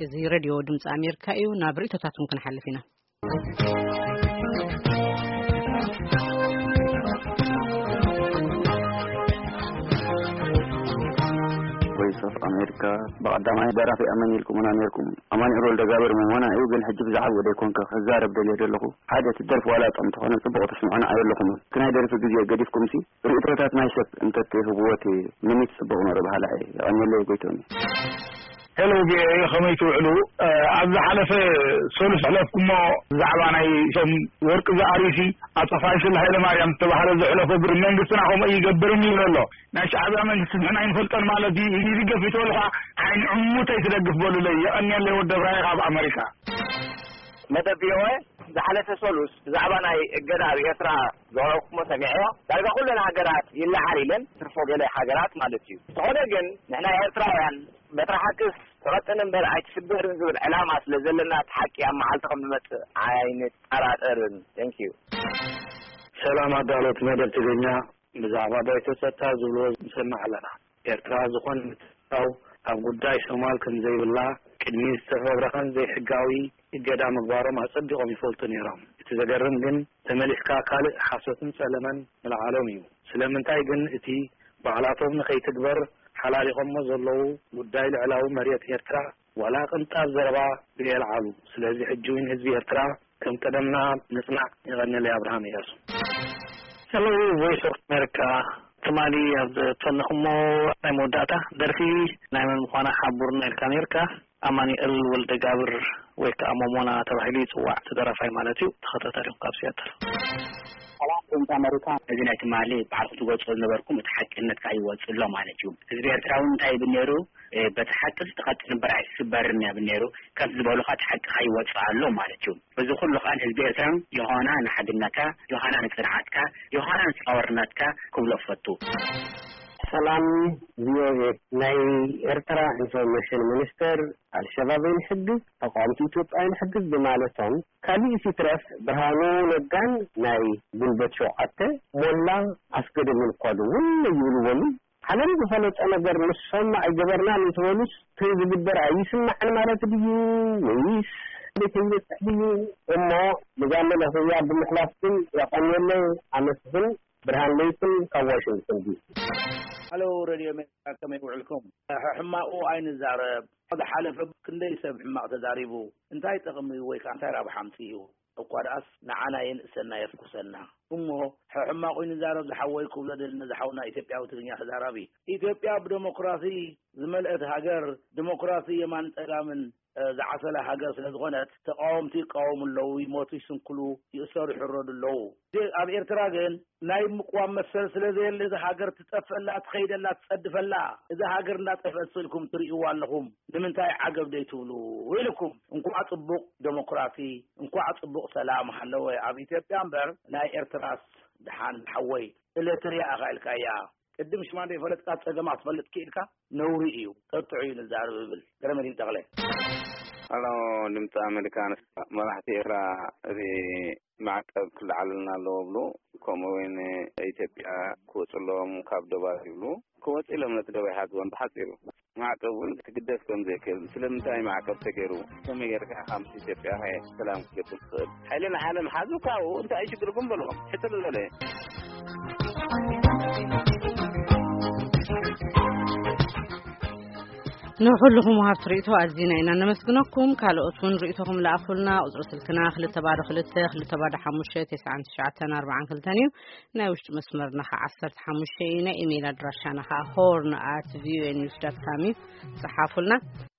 እዚ ሬድዮ ድምፂ ኣሜሪካ እዩ። ናብ ርእይቶታትኩም ክንሓልፍ ኢና። ቮይስ ኦፍ ኣሜሪካ፣ ብቐዳማይ ደራፊ ኣመን ኢልኩምና ነይርኩም። ኣማኑኤል ወልደጋብር ምሞና እዩ፣ ግን ሕጂ ብዛዕባ ወደ ኮንከ ክዛረብ ደልየ ዘለኹ። ሓደ እቲ ደርፊ ዋላ ጥዑም ተኾነ ጽቡቕ ተስምዑና ኣየለኹምን። እቲ ናይ ደርፊ ግዜ ገዲፍኩምሲ ርእይቶታት ናይ ሰብ እንተትህብዎ እቲ ምኒት ጽቡቕ ነሩ በሃላ እየ። የቐንየለይ ጎይቶሚ። ሄሎ ቪኦኤ፣ ከመይ ትውዕሉ? ኣብ ዝሓለፈ ሰሉስ ሕለፍኩሞ ብዛዕባ ናይ ሶም ወርቂ ዝኣሪሲ ኣቶ ፋይስል ሃይለማርያም ዝተባህለ ዝሕለፎ ግብሪ መንግስትና ከምኡ ይገብርም ይብል ኣሎ። ናይ ሻዕብያ መንግስቲ ንሕና ይንፈልጠን ማለት እዩ። ይድገፍ ይተበልካ ዓይኒ ዕሙተይ ትደግፍ በሉለይ። የቐንየለይ ወደ ብራይ ካብ ኣመሪካ። መደብ ቪኦኤ ዝሓለፈ ሰሉስ ብዛዕባ ናይ እገዳ ኣብ ኤርትራ ዘቕረብኩሞ ሰሚዐዮ። ዳርጋ ኩለን ሃገራት ይለዓል ኢለን፣ ትርፎ ገለ ሃገራት ማለት እዩ። ዝኾነ ግን ንሕና ኤርትራውያን በትሪ ሓቅስ ትቐጥን እምበር ኣይትስበርን ዝብል ዕላማ ስለ ዘለና እቲ ሓቂ ኣብ መዓልቲ ከም ዝመጽእ ኣይንጠራጠርን። Thank you። ሰላም ኣዳሎት መደብ ትግርኛ፣ ብዛዕባ ባይቶ ጸጥታ ዝብልዎ ንሰምዕ ኣለና። ኤርትራ ዝኾነ ምትእትታው ኣብ ጉዳይ ሶማል ከም ዘይብላ፣ ቅድሚ ዝተፈብረኸን ዘይሕጋዊ እገዳ ምግባሮም ኣጸቢቖም ይፈልጡ ነይሮም። እቲ ዘገርም ግን ተመሊስካ ካልእ ሓሶትን ጸለመን ምልዓሎም እዩ። ስለምንታይ ግን እቲ ባዕላቶም ንኸይትግበር ሓላሊቖሞ ዘለዉ ጉዳይ ልዕላዊ መሬት ኤርትራ ዋላ ቅንጣብ ዘረባ ዘየልዓሉ? ስለዚ ሕጂ እውን ህዝቢ ኤርትራ ከም ቀደምና ንጽናዕ። የቐንየለይ። ኣብርሃም እያሱ። Hello, Voice of America. ትማሊ ኣብ ዝፈነኹሞ ናይ መወዳእታ ደርፊ ናይ መን ምዃና ሓቡርና ኢልካ ነርካ። ኣማኑኤል ወልደ ጋብር ወይ ከዓ ሞሞና ተባሂሉ ይጽዋዕ፣ እቲ ደራፋይ ማለት እዩ። ተኸታታሊኹም ካብ ሲያትል። ሰላም ድምፂ ኣመሪካ። እዚ ናይ ትማሊ ባዕልኩም ትገልጾ ዝነበርኩም እቲ ሓቅነትካ ይወጽእ ኣሎ ማለት እዩ። ህዝቢ ኤርትራ እውን እንታይ ይብል ነይሩ? በቲ ሓቂ ዝተኸጥን እምበር ኣይስበርን እያ ብል ነይሩ። ከምቲ ዝበሉኻ እቲ ሓቅኻ ይወጽእ ኣሎ ማለት እዩ። በዚ ኩሉ ከኣ ንህዝቢ ኤርትራ ዮሃና ንሓድነትካ፣ ዮሃና ንጽንዓትካ፣ ዮሃና ንጻወርነትካ ክብሎ እፈቱ። ሰላም ቪኦኤ፣ ናይ ኤርትራ ኢንፎርሜሽን ሚኒስተር ኣልሸባብ ኣይንሕግዝ፣ ተቃወምቲ ኢትዮጵያ ኣይንሕግዝ ብማለቶም፣ ካሊእ ሲትረፍ ብርሃኑ ነጋን ናይ ጉልበት ሸውዓተ ሞላ ኣስገዶምን እኳ እውን ይብልዎምን። ዓለም ዝፈለጠ ነገር ንሶም ኣይገበርናን እንተበሉስ፣ እቲ ዝግበር ኣይስማዕን ማለት ድዩ ወይስ እንዴት ይበጽሕ ድዩ? እሞ ንዛ መለኽያ ብምሕላፍ ግን የቐንየለይ፣ ኣመስግን። ብርሃን ለይትን ካብ ዋሽንግተን ዲሲ። ሃሎ ሬድዮ ኣሜሪካ፣ ከመይ ውዕልኩም? ሕማቑ ኣይንዛረብ። ዝሓለፈ ክንደይ ሰብ ሕማቕ ተዛሪቡ፣ እንታይ ጠቕሚ ወይ ከዓ እንታይ ረብሓ ኣምፂኡ? እኳ ደኣስ ንዓና የንእሰና የፍኩሰና። እሞ ሕማቑ ይንዛረብ ዝሓወይ ክብሎ ደሊ ነዚ ሓውና ኢትዮጵያዊ ትግርኛ ተዛራቢ። ኢትዮጵያ ብደሞክራሲ ዝመልአት ሃገር፣ ዲሞክራሲ የማን ጸጋምን ዝዓሰለ ሃገር ስለ ዝኾነት፣ ተቃወምቲ ይቃወሙ ኣለዉ፣ ይሞቱ ይስንክሉ፣ ይእሰሩ ይሕረዱ ኣለዉ። ኣብ ኤርትራ ግን ናይ ምቅዋም መሰል ስለ ዘየለ፣ እዛ ሃገር ትጠፍእላ ትኸይደላ ትጸድፈላ፣ እዛ ሃገር እንዳጠፍአት ስእልኩም ትርእይዋ ኣለኹም፣ ንምንታይ ዓገብ ደይትብሉ ኢልኩም። እንኳዕ ጽቡቕ ደሞክራሲ፣ እንኳዕ ጽቡቕ ሰላም ሃለወ ኣብ ኢትዮጵያ እምበር፣ ናይ ኤርትራስ ደሓን ዝሓወይ። ኤለትርያ ኢኻ ኢልካያ። ቅድም ሽማ ዘይፈለጥካ ጸገማ ክትፈልጥ ክኢልካ ነውሪ እዩ። ጠጥዑ እዩ ንዛረብ እብል። ገረመዲን ተኽለ። ኣሎ ድምፂ ኣሜሪካ። መራሕቲ ኤርትራ እዚ ማዕቀብ ክለዓለልና ኣለዎ ብሉ፣ ከምኡ እውን ኢትዮጵያ ክወፅሎም ካብ ዶባት ይብሉ። ክወፅ ኢሎም ነቲ ዶባ ይሓዝዎም ብሓፂሩ። ማዕቀብ እውን ክትግደፍ ከም ዘይክእል፣ ስለምንታይ ማዕቀብ ተገይሩ፣ ከመይ ጌርካ ኢኻ ምስ ኢትዮጵያ ሰላም ክትገብር ትኽእል? ሓይሊ ንዓለም ሓዙ ካብኡ እንታይ ሽግርኩም በልዎም። ሕፅር ዝበለ። ንኹልኹም ወሃብቲ ርእይቶ ኣዚና ኢና ነመስግነኩም። ካልኦት እውን ርእይቶኹም ለኣኹልና። ቁፅሪ ስልክና ክልተ ባዶ ክልተ ክልተ ባዶ ሓሙሽተ ተስዓን ትሽዓተን ኣርባዓን ክልተን እዩ። ናይ ውሽጢ መስመርና ኸዓ ዓሰርተ ሓሙሽተ እዩ። ናይ ኢሜይል ኣድራሻና ኸዓ ሆርን ኣት ቪኦኤ ኒውስ ዳት ካም እዩ። ጸሓፉልና።